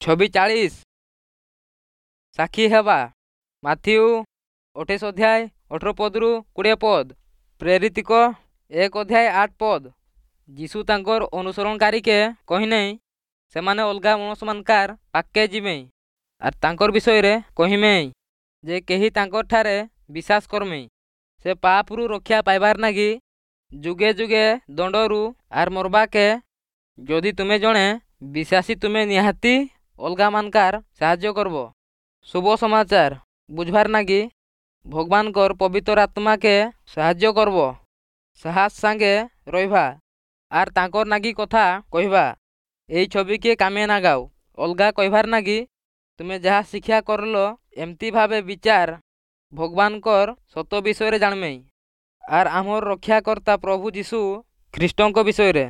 ଛବି 40। ସାକ୍ଷୀ ହେବା। ମାଥିଉ 28 ଅଧ୍ୟାୟ 18 ପଦରୁ 20 ପଦ, ପ୍ରେରିତିକ 1 ଅଧ୍ୟାୟ 8 ପଦ। ଯୀଶୁ ତାଙ୍କର ଅନୁସରଣକାରୀକେ କହିନେଇ ସେମାନେ ଅଲଗା ମଣିଷମାନକାର ପାଖକେ ଯିବେ ଆର୍ ତାଙ୍କର ବିଷୟରେ କହିମେ ଯେ କେହି ତାଙ୍କର ଠାରେ ବିଶ୍ୱାସ କରମେ, ସେ ପାପରୁ ରକ୍ଷା ପାଇବାର ନାଗି ଯୁଗେ ଯୁଗେ ଦଣ୍ଡରୁ ଆର୍ ମରବାକେ। ଯଦି ତୁମେ ଜଣେ ବିଶ୍ୱାସୀ, ତୁମେ ନିହାତି ଅଲଗାମାନକାର ସାହାଯ୍ୟ କରବ ଶୁଭ ସମାଚାର ବୁଝବାର ନାଗି। ଭଗବାନଙ୍କର ପବିତ୍ର ଆତ୍ମାକେ ସାହାଯ୍ୟ କରବ, ସାହସ ସାଙ୍ଗେ ରହିବା ଆର୍ ତାଙ୍କର ନାଗି କଥା କହିବା। ଏଇ ଛବିକେ କାମେ ନାଗାও ଅଲଗା କହିବାର ନାଗି ତୁମେ ଯାହା ଶିକ୍ଷା କରଲ। ଏମିତି ଭାବେ ବିଚାର ଭଗବାନଙ୍କର ସତ ବିଷୟରେ ଜାଣମେ ଆର୍ ଆମର ରକ୍ଷାକର୍ତ୍ତା ପ୍ରଭୁ ଯୀଶୁ ଖ୍ରୀଷ୍ଟଙ୍କ ବିଷୟରେ।